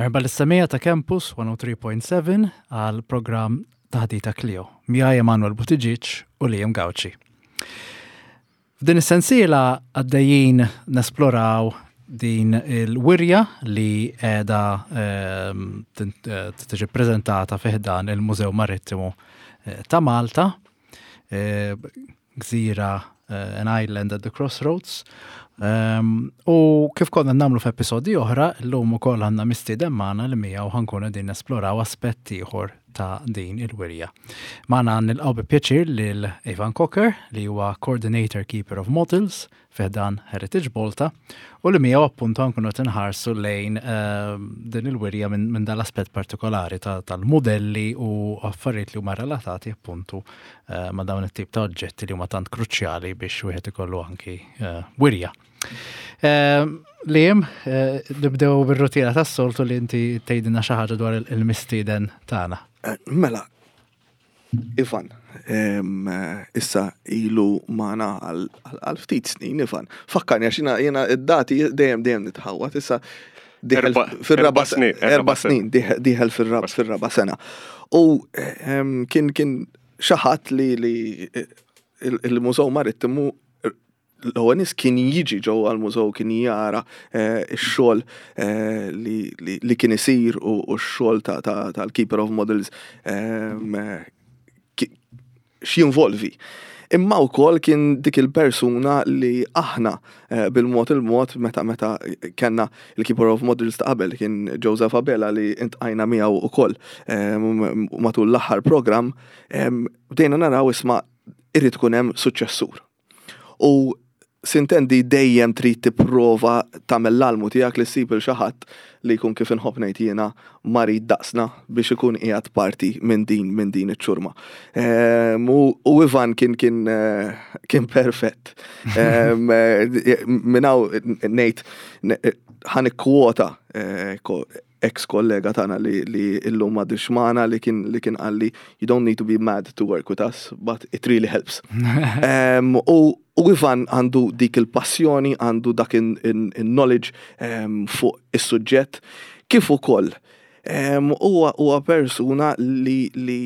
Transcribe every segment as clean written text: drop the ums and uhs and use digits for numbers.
Merħba lis-semija ta' Campus 103.7 għal programm Taħdita Clio. Miegħi Emanuel Buttigieg u Liam Gauci. F'din is-sensiela għaddejjin nesploraw din il-wirja li qiegħda ehm, eh, tiġi ppreżentata fi ħdan il-Mużew Marittimu eh, ta' Malta, eh, gżira an island at the crossroads. Ehm, u kif konna namlu f'episodi oħra, l-lum ukoll għandna mistieden magħna li miegħu ħankun qegħdin nesploraw aspett ieħor ta' din il-wirja. Magħna nilqgħu bi pjaċir lil Ivan Cocker li huwa Coordinator Keeper of Models fi ħdan Heritage Malta u li miegħu appuntu nkunu qed inħarsu lejn ehm, din il-wirja minn min dal-aspett partikolari tal-modelli u affarijiet li huma relatati appuntu eh, ma' dawn it-tip ta' oġġetti li huma tant kruċjali biex wieħed ikollu anki eh, wirja. Ehm, Liam, eh, nibdew bir-rutina tas-soltu li inti tgħidilna xi ħaġa dwar il-mistieden tagħna. Mela, Ivan, issa ilu magħna għal ftit snin, Ivan. Fakkarni għax jiena id-dati dejjem dejjem nitħawwad, issa fir-raba snin, erba' snin diħel fir-raba sena. U kien kien xi ħadd li il-Mużew Marittimu l-ewwel nies kien jiġi ġewwa l-mużew kien jara eh, x-xogħol eh, li kien isir u x-xogħol tal-Keeper of Models ehm, x'jinvolvi. Imma wkoll kien dik il-persuna li aħna eh, bil-mod il-mod meta meta kellna il-Keeper of Models ta' qabel kien Joseph Abela li intqajna miegħu ukoll ehm, matul l-aħħar programm ehm, bdejna naraw isma' irid ikun hemm suċċessur. U sintendi dejjem trid tipprova tagħmel l-almu tiegħek li ssib il xi ħadd li jkun kif inħobb ngħid jiena marid daqsna biex ikun qiegħed parti minn din minn din iċ-ċurma. Ehm, u Ivan kien kien eh, kien perfett. Ehm, eh, minn hawn ngħid ħa nikkwota eh, ex kollega tagħna li li illum m'għadux magħna li kien li kien qalli you don't need to be mad to work with us, but it really helps. um, u, u Ivan għandu dik il-passjoni, għandu dak in-knowledge um, fuq is-suġġett, kif ukoll huwa um, huwa persuna li li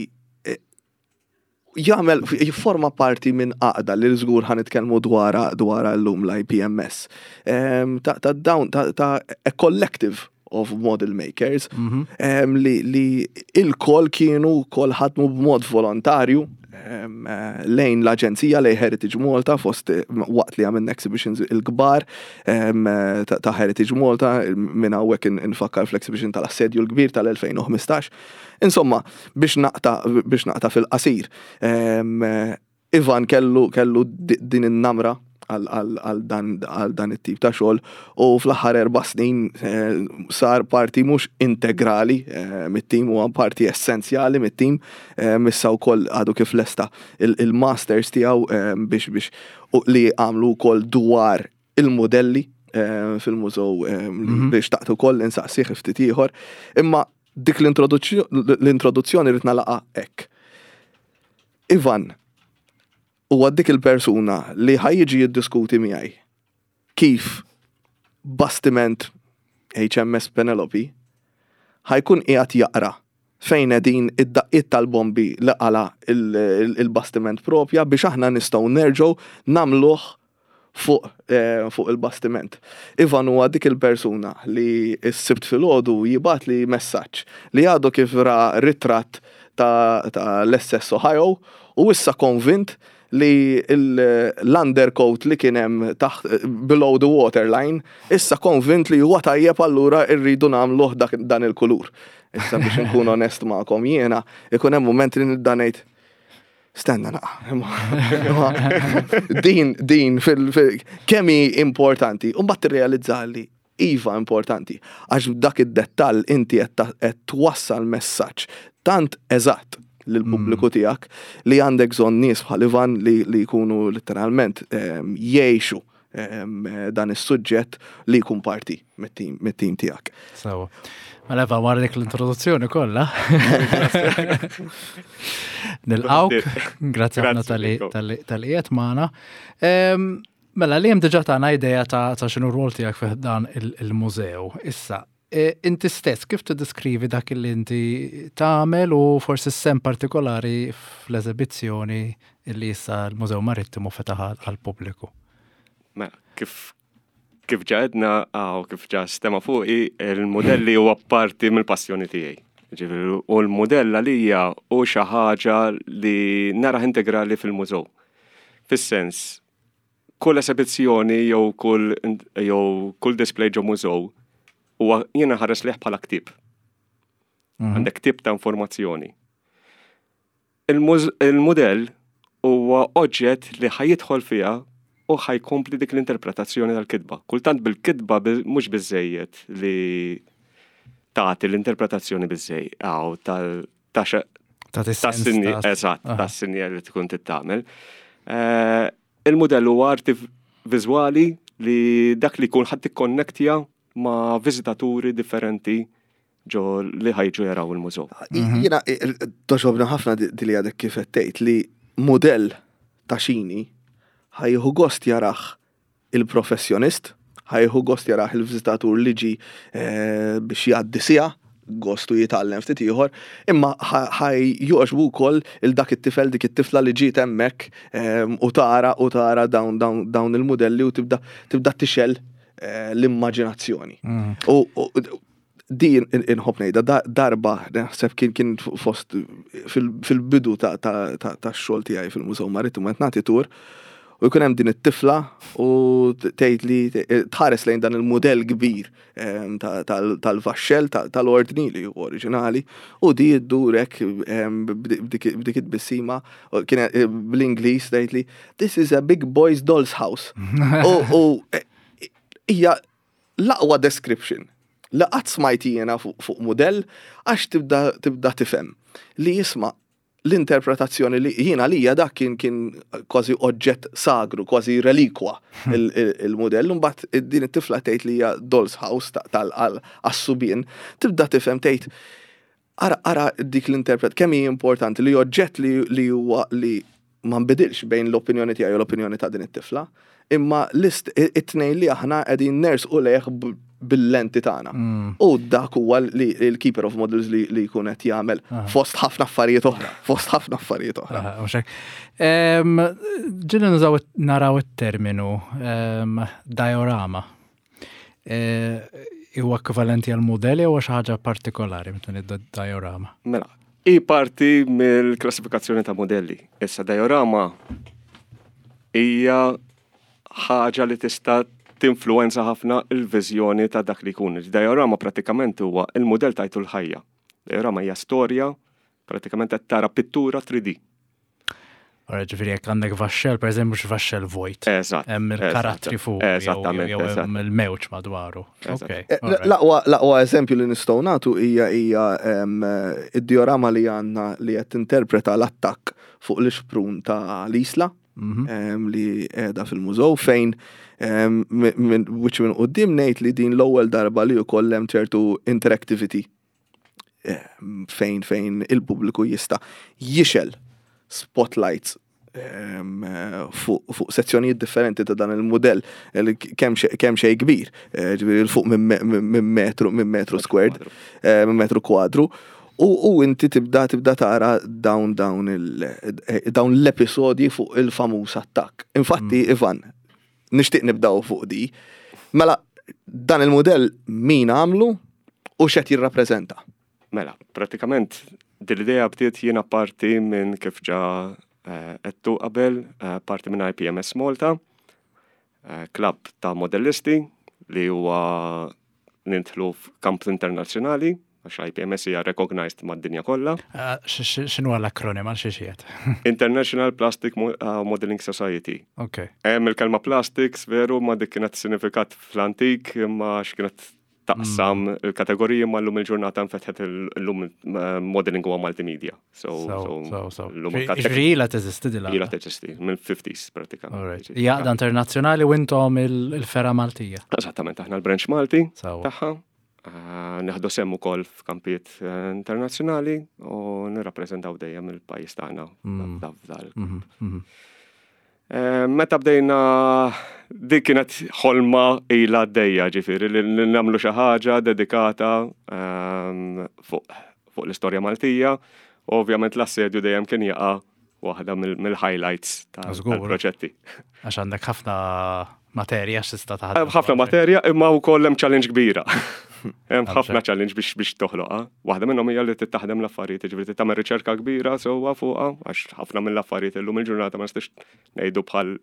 jagħmel jifforma parti minn għaqda li żgur ħa nitkellmu dwarha dwarha llum l-IPMS. Ehm, ta' ta' dawn ta' ta' a collective of model makers mm -hmm. li, li il-kol kienu kol ħadmu b'mod volontarju ehm, eh, lejn l-Aġenzija lejn Heritage Malta fost eh, waqt li għamilna exhibitions il-kbar ehm, eh, ta' Heritage Malta minn hawnhekk infakkar fl-exhibition tal-assedju l-kbir tal-2015. Insomma, biex naqta' biex naqta' fil-qasir, ehm, Ivan kellu kellu din in-namra għal dan it-tip ta' xogħol u fl-aħħar erba' snin eh, sar parti mhux integrali eh, mit-tim huwa parti essenzjali mit-tim eh, issa wkoll għadu kif lesta il-masters tiegħu biex biex li għamlu wkoll dwar il-modelli fil-mużew mhm. biex taqtu koll insaqsih ftit ieħor. Imma dik l-introduzzjoni rrid nagħlaqha hekk. Ivan huwa dik il-persuna li ħa jiġi jiddiskuti miegħi kif bastiment HMS Penelope ħa jkun qiegħed jaqra fejn qegħdin id-daqqiet tal-bombi li qala il-bastiment propja biex aħna nistgħu nerġgħu nagħmluh fuq eh, fuq il-bastiment. Ivan huwa dik il-persuna li s-sibt filgħodu jibgħatli messaġġ li għadu kif ra ritratt ta', ta l-SS Ohio u issa konvint li l-undercoat li kien hemm taħt below the waterline issa konvint li huwa tajjeb allura rridu nagħmluh dan il-kulur. Issa biex nkun onest magħkom jiena ikun hemm mument li nibda ngħid Stenna naqa. Din, din, kemm hi importanti. U mbagħad tirrealizza li iva importanti. Għax dak id-dettall inti qed twassal messaġġ tant eżatt lill-pubbliku mm. tiegħek li għandek bżonn nies bħal Ivan li, li jkunu letteralment ehm, jgħixu ehm, dan is-suġġett li jkun parti mit-tim tiegħek. Sewa. Mela Eva, wara dik l-introduzzjoni kollha. Nilqawk, grazzi ħafna tal-li qiegħed magħna. Mela li hemm diġà tagħna idea ta' x'inhu r-rwol tiegħek fih dan il-mużew. Issa, Inti stess kif tiddeskrivi dak li inti tagħmel u forsi s-sehem partikolari fl-eżibizzjoni li issa l-Mużew Marittimu fetaħ għall-pubbliku? Mela, kif kif ġa għedna u kif ġa stema fuqi, il-modelli huwa parti mill-passjoni tiegħi. Ġifieri, u l-modell għalija hu xi ħaġa li narah integrali fil-mużew. Fis-sens, kull esebizzjoni jew kull jew kull display ġo mużew huwa jiena nħares lejh bħala ktieb. Għandek ktieb ta' informazzjoni. Il-mudell huwa oġġett li ħa jidħol fiha u ħa jkompli dik l-interpretazzjoni tal-kitba. Kultant bil-kitba mhux biżejjed li tagħti l-interpretazzjoni biżejjed tal Tagħti eżatt, tas-sinjal li tkun tittamel. Eh, il-mudell huwa arti viżwali li dak li jkun ħadd tikkonnektja ma' viżitaturi differenti ġo li ħajġu jaraw il-mużew. Mhm. Jiena togħġobni ħafna di li għadek kif tgħid li mudell ta' xini ħa jieħu gost jarah il-professjonist, ħa jieħu gost jarah il-viżitatur li ġi eh, biex jgħaddi siegħa, gostu jitgħallem ftit ieħor, imma ħa jogħġbu wkoll il dak it-tifel dik it-tifla li ġiet hemmhekk eh, u tara u tara dawn dawn il-mudelli u tibda tibda tixgħel eh, l-immaġinazzjoni. Mm. U din inħobb ngħidha darba naħseb kien kien fost fil-bidu ta' xogħol tiegħi fil-Mużew Marittimu qed nagħti tur u jkun hemm din it-tifla u tgħid li tħares lejn dan il-mudell kbir ehm, tal-vaxxell tal-ordni li hu oriġinali u di ddurek ehm, b'dik it-tbissima kien eh, bl-Ingliż tgħid li this is a big boy's doll's house. U eh, hija l-aqwa description li qatt smajt jiena fuq mudell għax tibda tibda tifhem li jisma' l-interpretazzjoni li jiena lija dak kien kien kważi oġġett sagru, kważi relikwa il-mudell, mbagħad din it-tifla tgħid li hija doll's house tal-għas-subien, tibda tifhem tgħid Ara, ara dik l-interpret, kemm hi importanti li oġġett li, li huwa li ma nbidilx bejn l-opinjoni tiegħi u l-opinjoni ta' din it-tifla, imma list it-tnejn li aħna qegħdin nersqu lejh bil-lenti tagħna. Mm. U dak huwa li l-keeper of models li, li jkun qed jagħmel fost ħafna affarijiet oħra, fost ħafna affarijiet oħra. Ġieli nużaw naraw it-terminu diorama. Huwa ekwivalenti għal mudell jew xi ħaġa partikolari meta ngħidu diorama? Mela, hi parti mill-klassifikazzjoni ta' modelli. Issa diorama hija ħaġa li tista' tinfluwenza ħafna il-viżjoni ta' dak li jkun. Diorama pratikament huwa il-mudell tajtu l-ħajja. Diorama hija storja, pratikament qed tara pittura 3D. Ora ġifieri jekk għandek vaxxel, per eżempju, mhux vaxxel vojt. Eżatt. Hemm il-karattri fuq. Eżattament. Jew hemm il-mewġ madwaru. Eh, l-aqwa eżempju li nistgħu nagħtu hija hija id-diorama li għandna li qed tinterpreta l-attakk fuq l-ixprun ta' l-Isla mhm. li qiegħda fil-mużew fejn minn wiċċ minn quddiem ngħid li din l-ewwel darba li wkoll hemm ċertu interactivity fejn fejn il-pubbliku jista' jixgħel spotlights ehm, fuq fu sezzjonijiet differenti ta' dan il-modell kemm xejn kbir, eh, ġifieri fuq minn metru minn metru squared, eh, minn metru kwadru. U, u inti tibda tibda tara dawn dawn il, eh, dawn l-episodji fuq il-famuż attakk. Infatti, mm. Ivan, nixtieq nibdaw fuq di. Mela, dan il-modell min għamlu u x'qed jirrappreżenta? Mela, pratikament dil-idea bdiet jiena parti minn kif ġa eh, għedtu qabel, eh, parti minn IPMS Malta, eh, klabb ta' modellisti li huwa nidħlu f'kamp internazzjonali, għax IPMS hija recognized mad-dinja kollha. Ah, x'inhu l-akronim għal xi xiet? International Plastic ah, Modeling Society. Ok. Hemm il-kelma plastics veru ma dik kienet sinifikat fl-antik imma x'kienet taqsam mm. il-kategoriji ma llum il-ġurnata nfetħet illum eh, modeling huwa multimedia. So, so, so, so. Ġifieri ilha teżisti dila. Ilha teżisti, mill-50s pratikament. Hija għaqda internazzjonali u intom il-fergħa Maltija. Eżattament, aħna l-branch Malti tagħha. Eh, neħdu sehem ukoll f'kampijiet eh, internazzjonali u nirrappreżentaw dejjem il-pajjiż tagħna mm. f'dal. Mhm, mhm. Meta bdejna dik kienet ħolma ilha għaddejja ġifieri li nagħmlu xi ħaġa dedikata ehm, fuq fuq l-istorja Maltija. U ovvjament l-assedju dejjem kien jaqa' waħda mill-highlights tal-proġetti. Għax għandek ħafna materja x'tista' taħdem. Ħafna materja imma wkoll hemm challenge kbira. Hemm ħafna challenge biex biex toħloqha. Waħda minnhom hija li tittaħdem l-affarijiet, jiġifieri tagħmel riċerka kbira sewwa fuqha għax ħafna mill-affarijiet illum il-ġurnata ma nistax ngħidu bħal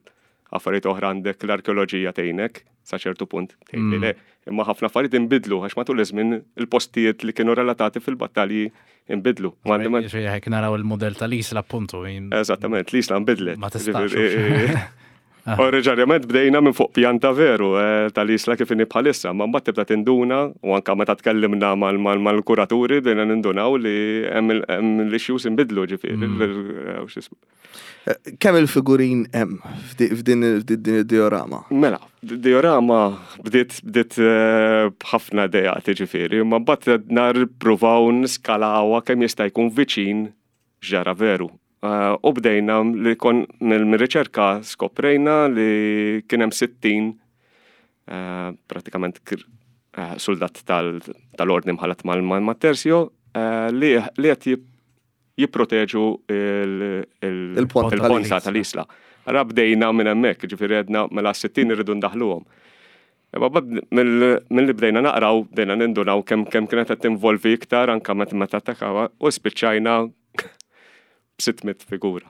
affarijiet oħra għandek l-arkeoloġija tgħinek sa ċertu punt tgħidli le. Imma ħafna affarijiet inbidlu għax matul iż-żmien il-postijiet li kienu relatati fil-battalji inbidlu. Ġifieri hekk naraw il-mudell tal-Isla appuntu. Eżattament, l-Isla nbidlet. Ma tistax. Oriġinarjament bdejna minn fuq pjanta veru tal-Isla kif inhi bħalissa, ma mbagħad tibda tinduna u anke meta tkellimna mal-kuraturi bdejna nindunaw li hemm l-issues inbidlu ġifieri. Kemm il-figurin hemm f'din id-diorama? Mela, diorama bdiet bdiet b'ħafna idejat ġifieri, imma mbagħad nippruvaw niskalawha kemm jista' jkun viċin x'ġara veru. U bdejna li kon mill-riċerka skoprejna li kien hemm 60 pratikament suldat tal-ordni mħallat mal-tersjo li qed jipproteġu il-ponta tal-isla. Ara bdejna minn hemmhekk, ġifieri għedna mela 60 irridu ndaħluhom. Imma mill-li bdejna naqraw, bdejna nindunaw kemm kemm kienet qed tinvolvi iktar anke meta attakawha u spiċċajna b'600 figura.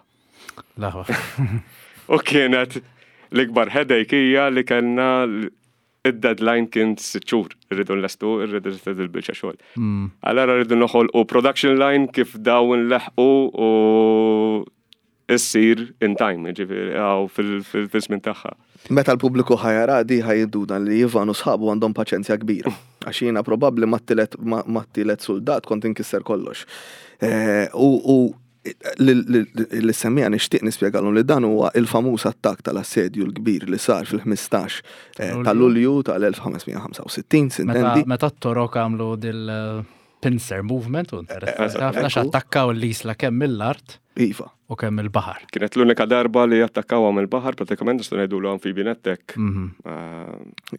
Laħwa. U kienet l-ikbar headache hija li kellna id-deadline kien sitt xhur, irridu nlestu, irridu nlestu il-biċċa xogħol. Allora rridu noħolqu production line kif dawn nleħqu u issir in time, ġifieri għaw fil-żmien tagħha. Meta l-pubbliku ħa jara di ħa jinduna li Ivan u sħabu għandhom paċenzja kbira. Għax jiena probabbli mat-tielet suldat kont inkisser kollox. U l-semmija nixtieq nispjegalhom li dan huwa il-famuż attakk tal-assedju l-kbir li sar fil-15 ta' Lulju tal-1565, sintendi. Meta t-Torok għamlu dil-pincer movement, u interessanti ħafna x'attakkaw l-isla kemm mill-art. Iva. U kemm il-baħar. Kienet l-unika darba li attakkaw mill-baħar, pratikament nistgħu ngħidulu amphibian attack.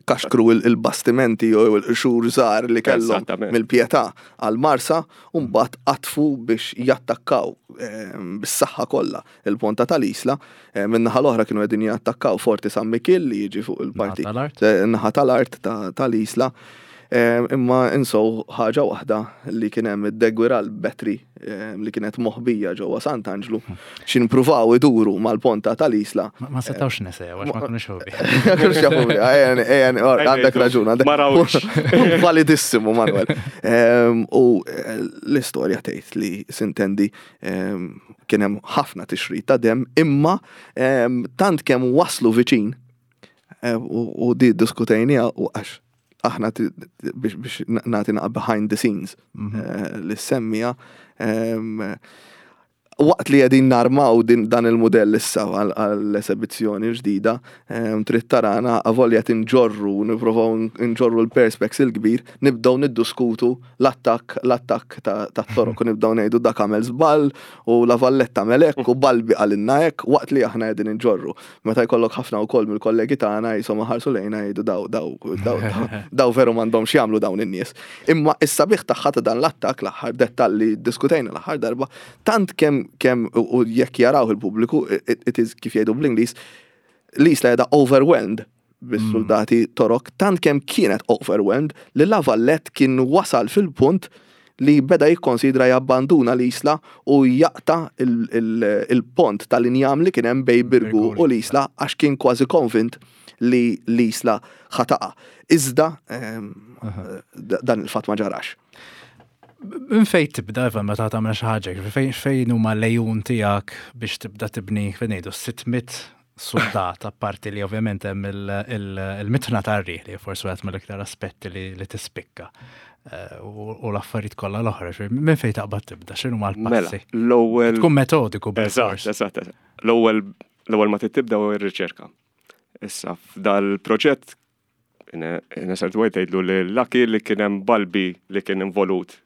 Kaxkru il-bastimenti jew il-qxur żgħar li kellhom mill-Pietà għal-Marsa u mbagħad qatfu biex jattakkaw bis-saħħa kollha il-ponta tal-Isla. Min-naħa l-oħra kienu qegħdin jattakkaw Forti San Mikiel li jiġi fuq il-parti naħa tal-art tal-Isla. Imma insow ħaġa waħda li kien hemm id-Deguiral Battery li kienet moħbija ġewwa Sant'Anġlu xi npruvaw iduru mal-ponta tal-Isla. Ma setgħux nesew għax ma kinux jafu biha. Ma kinux jafu biha, ejja, għandek raġun. Ma rawx. Validissimu, Manuel. U l-istorja tgħid li sintendi kien hemm ħafna tixrid ta' demm imma tant kemm waslu viċin u di diskutejniha u għax aħna biex nagħti naqa' behind the scenes li semmija waqt li qegħdin narmaw dan il-mudell issa għall-esebizzjoni ġdida, trid tarana avolja tinġorru, nipprovaw nġorru l-perspex il-kbir, nibdew niddiskutu l-attakk l-attakk tat-Torok u nibdew ngħidu dak għamel żball u La Valletta għamel hekk u Balbi qalilna hekk waqt li aħna qegħdin inġorru. Meta jkollok ħafna wkoll mill-kollegi tagħna jisom iħarsu lejna jgħidu daw daw daw daw veru m'għandhomx jagħmlu dawn in-nies. Imma is-sabiħ tagħha ta' dan l-attakk l-aħħar dettall li ddiskutejna l-aħħar darba, tant kemm kemm u jekk jaraw il-pubbliku it is kif jgħidu bl-Ingliż l-isla qiegħda overwhelmed bis-suldati Torok tant kemm kienet overwhelmed li La Valette kien wasal fil-punt li beda jikkonsidra jabbanduna l-isla u jaqta' il-pont tal-injam li kien hemm bejn Birgu u l-isla għax kien kważi konvint li l-isla ħa taqa'. Iżda dan il-fatt ma ġarax. Minn fejn tibda Ivan meta tagħmel xi ħaġa, fejn huma l-għejun tiegħek biex tibda tibni fejn ngħidu 600 suldat, apparti li ovvjament hemm il-mitna tar-riħ li forsi wieħed mill-iktar aspetti li tispikka eh, u l-affarijiet kollha l-oħra, minn fejn taqbad tibda, x'inhu ma l-passi? Mela, l-ewwel tkun metodiku. Eżatt, eżatt. L-ewwel l-ewwel ma tibda u r-riċerka. Issa f'dal-proġett Nesert White tgħidlu li Lucky li kien hemm Balbi li kien involut.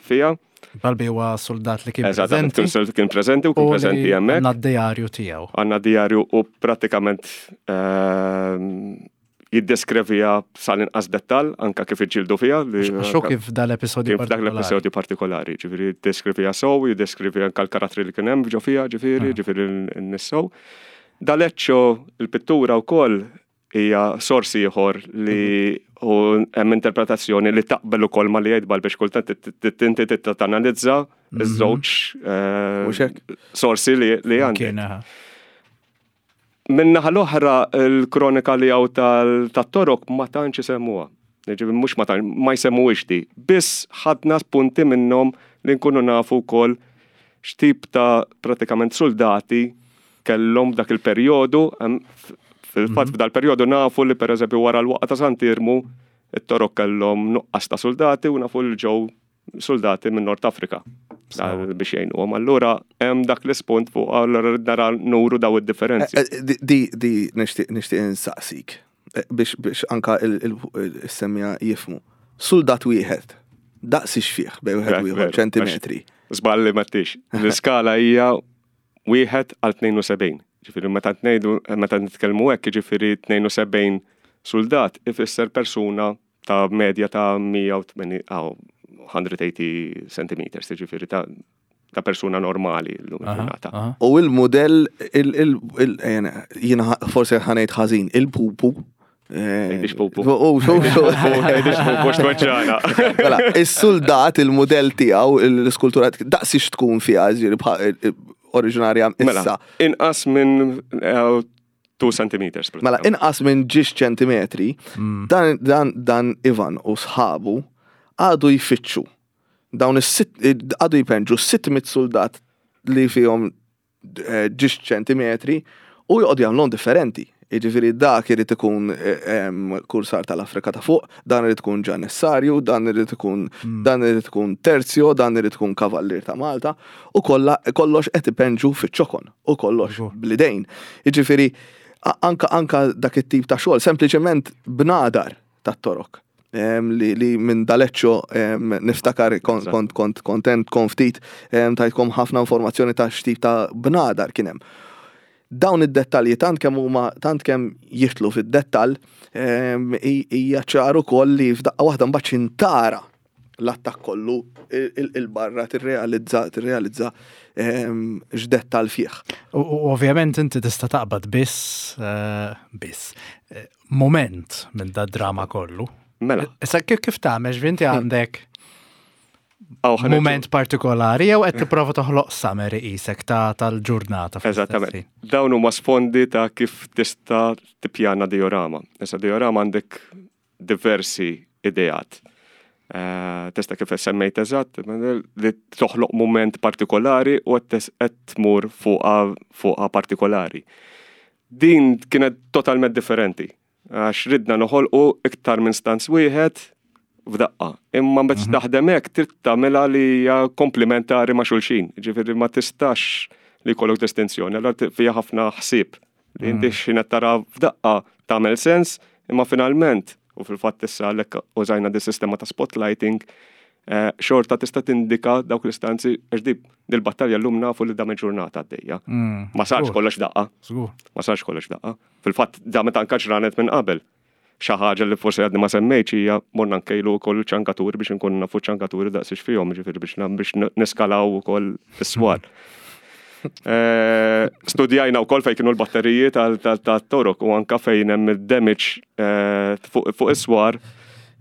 fija. Balbi huwa soldat li kien preżenti. Eżatt, kien preżenti u kien preżenti hemmhekk. Għandna d-diarju tiegħu. Għandna diarju u pratikament jiddeskrivija sal-inqas dettal anka kif iġġieldu fiha. Għax hu kif dal-episodju partikolari. Dak l-episodju partikolari, ġifieri jiddeskrivija sew, jiddeskrivi anka l-karattri li kien hemm ġo fiha, ġifieri, ġifieri n-nies sew. D'Aleccio il-pittura wkoll hija sors ieħor li u hemm interpretazzjoni li taqbel ukoll ma li jgħid biex kultant inti trid tanalizza iż-żewġ sorsi li għandek. Min-naħa l-oħra l-kronika li hawn tat-Torok ma tantx isemmuha. Jiġifieri mhux ma tantx, ma jsemmuhiex di. Biss ħadna spunti minnhom li nkunu nafu wkoll x'tip ta' pratikament suldati kellhom f'dak il-perjodu. Fil-fatt f'dal-perjodu nafu li pereżempju wara l-waqgħa ta' Sant'Iermu it-Torok kellhom nuqqas ta' suldati u nafu li ġew soldati minn Nord Afrika biex jgħinuhom. Allura hemm dak l-ispunt fuq allura nara nuru daw id-differenzi. Eh, eh, di di nixtieq nixtieq insaqsik eh, biex biex anka il-semmija jifmu. Soldat wieħed daqs ixfih bej wieħed u ieħor ċentimetri. Żballi ma tix. L-iskala hija wieħed għal 72. Ġifieri meta ngħidu meta nitkellmu hekk jiġifieri 72 soldat ifisser persuna ta' medja ta' 180, 180 centimeters, ġifiri ta' ta' persuna normali l-lum il-ġurnata. U il-modell, jina forse ħanejt ħażin, il-pupu. Tgħidix pupu. U, xu, xu. Tgħidix pupu x'tweġġana. Mela, is-soldat, il-modell tiegħu, l-iskultura, daqsix tkun fiha, ġifieri oriġinarja mela, issa. Inqas minn 2 centimeters. Mela, inqas minn ġiex ċentimetri, dan, dan, dan Ivan u sħabu għadu jfittxu dawn is-sitt għadu jpenġu 600 soldat li fihom eh, ġiex ċentimetri u joqogħdu jagħmluhom differenti. Jiġifieri dak irid ikun eh, kursar tal-Afrika ta' fuq, dan irid ikun ġanessarju, dan irid ikun dan irid ikun terzjo, dan irid ikun kavallier ta' Malta u kollha kollox qed ipenġu fiċ-ċokon. u kollox bl-idejn. Jiġifieri anka anka dak it-tip ta' xogħol sempliċement bnadar tat-torok. Li, li minn daleċċo niftakar kont kont kont kontent kon ftit tajtkom ħafna informazzjoni ta' x'tip ta' bnadar kien hemm. Dawn id-dettalji tant kemm huma tant kemm jidħlu fid-dettall hija ċar ukoll li f'daqqa waħda mbagħad xintara l-attakk kollu il-barra tirrealizza tirrealizza ehm, x'dettal fih. U ovvjament inti tista' taqbad biss eh, biss eh, moment minn da drama kollu. Mela. Issa kif kif tagħmel ġvinti għandek moment partikolari jew qed tipprova toħloq summary qisek ta' tal-ġurnata. Eżattament. Dawn huma sfondi ta' kif tista' tippjana diorama. Issa diorama għandek diversi ideat. Eh, tista' kif semmejt eżatt, li toħloq moment partikolari u qed tmur fuqha partikolari. Din kienet totalment differenti, għax ridna noħolqu iktar minn stanz wieħed f'daqqa. Imma meta mhm. taħdem hekk trid tagħmilha li hija komplementari ma' xulxin. Ġifieri ma tistax li jkollok distinzjoni, allura fiha ħafna ħsieb Li inti mm. x'ħin qed tara f'daqqa tagħmel sens, imma finalment, u fil-fatt issa għalhekk użajna di sistema ta' spotlighting, eh, xorta tista' tindika dawk l-istanzi għax di dil-battalja llum nafu li dam il-ġurnata għaddejja. Mm, ma sarx kollox daqqa. Ma sarx kollox daqqa. Fil-fatt damet anka ġranet minn qabel. Xi ħaġa li forsi għadni ma semmejtx hija morna nkejlu wkoll ċankaturi biex inkunu nafu ċankaturi daqsiex fihom, ġifieri biex biex niskalaw ukoll is-swar. Eh, studjajna wkoll fejn kienu l-batteriji tal-torok u anka fejn hemm id-damage eh, fuq is-swar.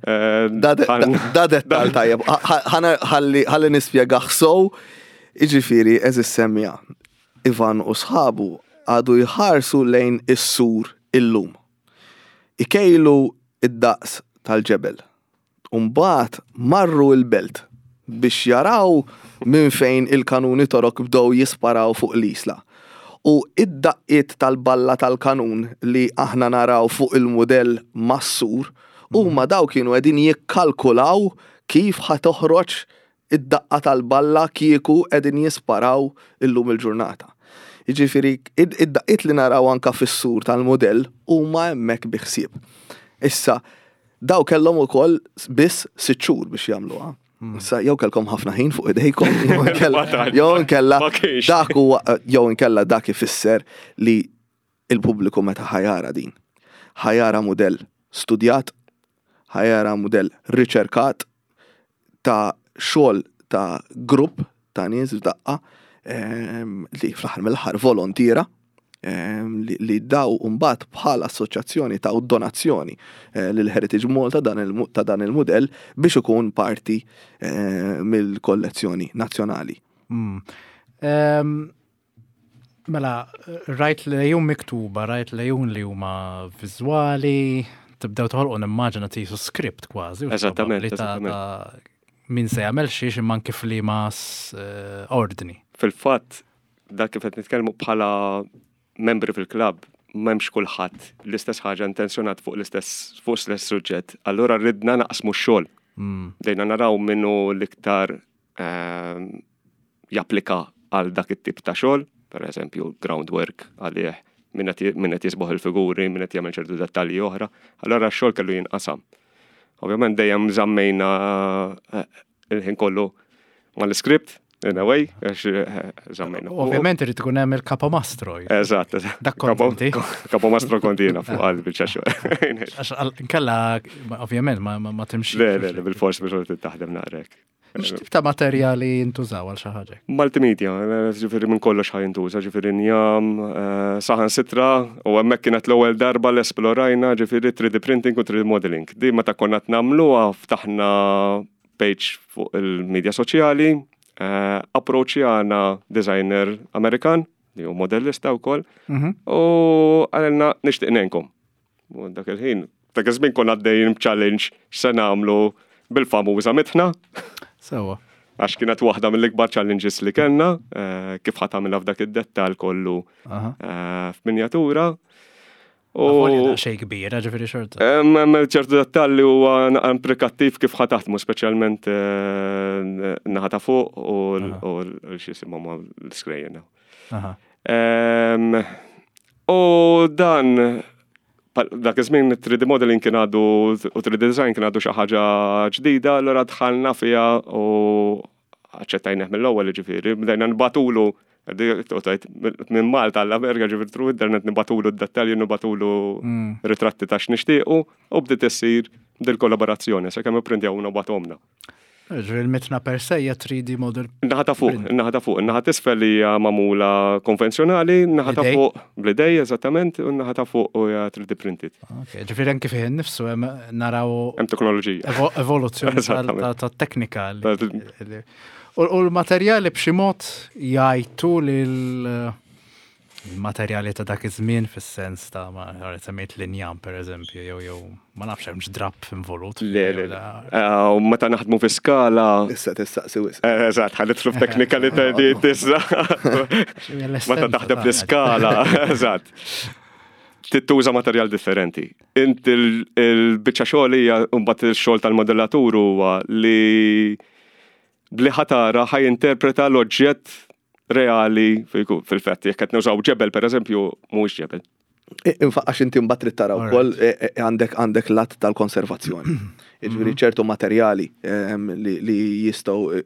Eh, da dettal tajjeb, ħalli nispjega sow, iġifieri eżis semmija. Ivan u sħabu għadu jħarsu lejn is-sur illum. Ikejlu d-daqs tal-ġebel u mbagħad marru l-belt biex jaraw minn fejn il-kanuni Torok bdew jisparaw fuq l-Isla. U id-daqqiet tal-balla tal-kanun li aħna naraw fuq il-mudell mas-sur huma dawk kienu qegħdin jikkalkulaw kif ħa toħroġ id-daqqa tal-balla kieku qegħdin jisparaw illum il-ġurnata. Jiġifieri id-daqqiet li naraw anka fis-sur tal-mudell huma hemmhekk bi ħsieb. Issa, daw kellhom ukoll biss sitt xhur biex jagħmluha. Issa jew kellkom ħafna ħin fuq idejkom, jew inkella dak huwa jew inkella dak ifisser li il-pubbliku meta ħa jara din. Ħa jara mudell studjat, ħa jara mudell riċerkat ta' xogħol ta' grupp ta' nies f'daqqa ehm, li fl-aħħar mill-aħħar volontiera ehm, li daw mbagħad bħala assoċjazzjoni ta' donazzjoni eh, lil Heritage Malta ta' dan il-mudell biex ikun parti eh, mill-kollezzjoni nazzjonali. Hmm. Ehm, mela, rajt lejun miktuba, rajt lejun li huma viżwali, tibdew toħolqu nimmaġina tisu script kważi. Eżattament. Eżattament. Min se jagħmel xiex imma kif li ma eh, ordni. Fil-fatt, dak kif qed nitkellmu bħala membri fil-klabb, m'hemmx kulħadd l-istess ħaġa intenzjonat fuq l-istess fuq l-istess suġġett. Allura ridna naqsmu x-xogħol. Hmm. Dejna naraw minnu l-iktar ehm, japplika għal dak it-tip ta' xogħol, per eżempju groundwork għalih min qed jisboħ il-figuri, min qed jagħmel ċertu dettalji oħra. Allura x-xogħol kellu jinqasam. Ovvjament dejjem żammejna eh, il-ħin kollu mal-iskript, in a way, għax eh, żammejna. Ovvjament irid ikun hemm il-kapomastro. Eżatt, eżatt. Dak konti. Kapomastro kontina fuq għal biċċa xogħol. Għax nkella ovvjament ma timxi. Le, le, bil-fors biex taħdem naqrek. X'tip ta' materjali jintużaw għal xi ħaġa? Multimedia, ġifieri minn kollox ħa jintuża, ġifieri njam, eh, saħan sitra, u hemmhekk kienet l-ewwel darba li esplorajna ġifieri 3D printing u 3D modeling. Di meta konna qed nagħmluha ftaħna page fuq il-medja soċjali, eh, approċċjana designer Amerikan li hu modellista wkoll, mhm. u għalilna nixtieq ngħinkom. U dak il-ħin, dak iż-żmien konna għaddejjin b'challenge x'se nagħmlu bil-famuża mitħna. Sewa. Għax kienet waħda mill-ikbar challenges li kellna, eh, kif ħa tagħmilha f'dak id-dettal kollu eh, f'minjatura. U xej kbira, ġifieri xorta. Hemm ċertu dettalli huwa implikattiv kif ħa taħdmu, speċjalment eh, naħa ta' fuq u l-xisimhom l-iskrejjen. U dan dak iż-żmien 3D modeling kien għadu u 3D design kien għadu xi ħaġa ġdida, allura dħalna fiha u aċċettajnieh mill-ewwel ġifieri, bdejna nbatulu minn Malta għall-Amerika ġifieri through internet nibatulu d-dettalji, nibatulu mm. ritratti ta' x'nixtiequ u bdiet issir dil-kollaborazzjoni sakemm ipprintjawna u batomna. Ġifieri l-mitna per se hija 3D model. Naħa ta' fuq, naħa ta' fuq, naħa t'isfel hija magħmula konvenzjonali, naħa ta' fuq bl-idej eżattament, u naħa ta' fuq hija 3D printed. Ok, ġifieri anke fih innifsu hemm naraw Hemm teknoloġija. Evoluzzjoni ta' teknika. U l-materjali b'xi mod jgħajtu lil Il-materjali ta' dak iż-żmien fis-sens ta' ma semmejt l-injam pereżempju jew jew ma nafx hemmx drapp involut. Le, le, le. Eh, u meta naħdmu fi skala. Issa tistaqsi wisq. Eh, eżatt, ħa nidħlu f'teknikalità di tista. Meta taħdem fl-iskala, eżatt. Tittuża materjal differenti. Int il-biċċa xogħol hija mbagħad il-xogħol tal-modellatur huwa li bli ħatara ħaj interpreta l-oġġett reali fil-fatt jekk qed nużaw ġebel pereżempju mhuwiex ġebel. Għax inti mbagħad trid tara wkoll e, e, għandek għandek lat tal-konservazzjoni. Jiġifieri mhm. ċertu materjali ehm, li jistgħu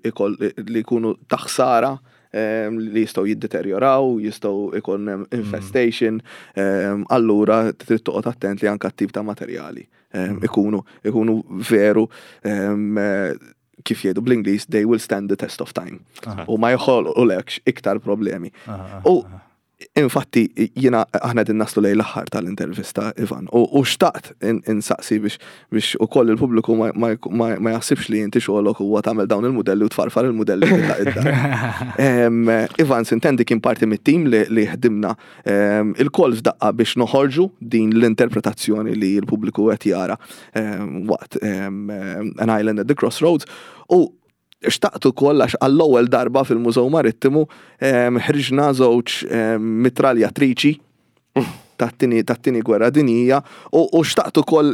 li jkunu taħsara ehm, li jistgħu jiddeterjoraw, jistgħu ikun mhm. infestation, ehm, allura trid toqgħod attent li anke tip ta' materjali mhm. ikunu ikunu veru kif jgħidu bl-Ingliż, they will stand the test of time. U ma jħolqulekx iktar problemi. U infatti jiena aħna din naslu lejn l-aħħar tal-intervista Ivan u xtaqt insaqsi biex biex ukoll il-pubbliku ma jaħsibx li inti xogħolok huwa tagħmel dawn il-mudelli u tfarfar il-mudelli Ivan sintendi kien parti mit-tim li ħdimna il-koll f'daqqa biex noħorġu din l-interpretazzjoni li l-pubbliku qed jara waqt An Island at the Crossroads u xtaqt ukoll għax għall-ewwel darba fil-Mużew Marittimu ħriġna żewġ mitraljatriċi tat-tieni gwerra dinjija u xtaqt ukoll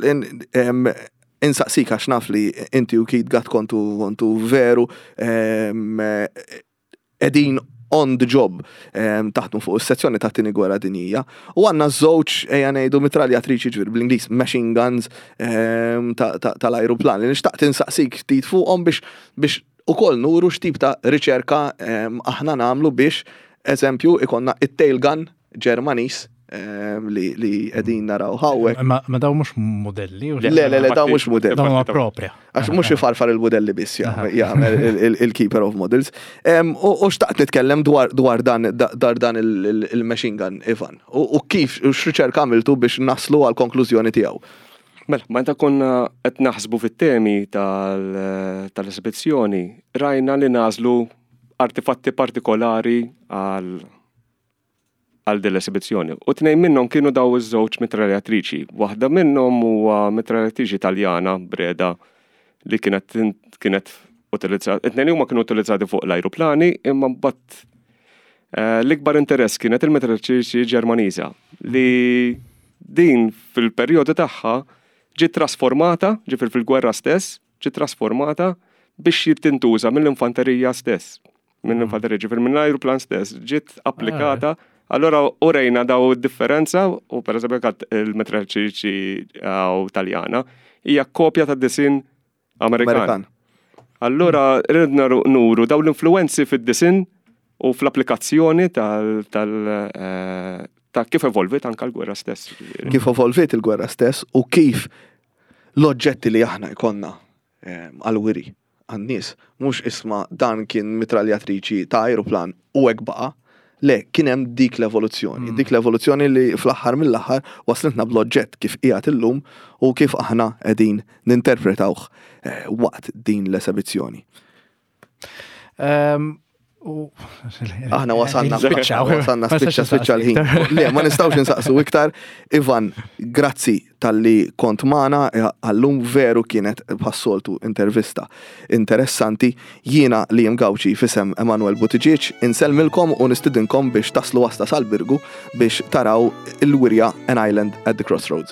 insaqsik għax naf li inti u Keith Gatt kontu kontu veru qegħdin on the job taħdmu fuq is-sezzjoni ta' tieni gwerra dinjija. U għandna żewġ ejja ngħidu mitraljatriċi ġifieri bl-Ingliż machine guns tal-ajruplan li nixtaqt insaqsik ftit fuqhom biex biex ukoll nuru x'tip ta' riċerka aħna nagħmlu biex eżempju ikonna it-tail gun Ġermaniż li li qegħdin naraw hawnhekk. Ma daw mhux modelli. Le, le, le, daw mhux modelli. Dawn huma propja. Għax mhux ifarfar il-modelli biss jagħmel il-keeper of models. U xtaqt nitkellem dwar dan dwar dan il-machine gun, Ivan. U kif u x'riċerka għamiltu biex naslu għal konklużjoni tiegħu. Mela, meta konna qed naħsbu fit-temi tal-esibizzjoni, rajna li nagħżlu artifatti partikolari għal għal din l-esibizzjoni. U tnejn minnhom kienu daw iż-żewġ mitraljatriċi. Waħda minnhom huwa mitraljatriċi Taljana Breda li kienet kienet utilizzata. It-tnejn huma kienu utilizzati fuq l-ajruplani imma mbagħad eh, l-ikbar interess kienet il-mitraljatriċi Ġermaniża li din fil-perjodu tagħha ġiet trasformata, ġifier fil-gwerra stess, ġiet trasformata biex tintuża mill-infanterija stess. Mill-infanterija, ġifier mill-ajruplan stess, ġiet applikata. Allora urejna daw differenza u per eżempju kat il-metralċiċi u Taljana hija kopja ta' disin Amerikan. Allora ridna nuru daw l-influenzi fid-disin u fl-applikazzjoni tal eh, ta' kif evolvit anka l-gwerra stess. Kif evolvit il-gwerra stess u kif l-oġġetti li aħna jkollna ehm, għal-wiri għan-nies, mhux isma' dan kien mitraljatriċi ta' ajruplan u hekk baqa'. Le, kien hemm dik l-evoluzzjoni, mm. dik l-evoluzzjoni li fl-aħħar mill-aħħar waslitna bl-oġġett kif qiegħed illum u kif aħna qegħdin ninterpretawh eh, waqt din l-esebizzjoni. Ehm, Aħna wasalna wasalna spiċċa spiċċa l-ħin. Le, ma nistgħux insaqsu iktar. Ivan, grazzi tal-li kont magħna eh, għallum veru kienet bħas-soltu intervista interessanti. Jiena li Gawċi fisem Emanuel Buttigieg insellmilkom u nistidinkom biex taslu wasta sal-Birgu biex taraw il-wirja An Island at the Crossroads.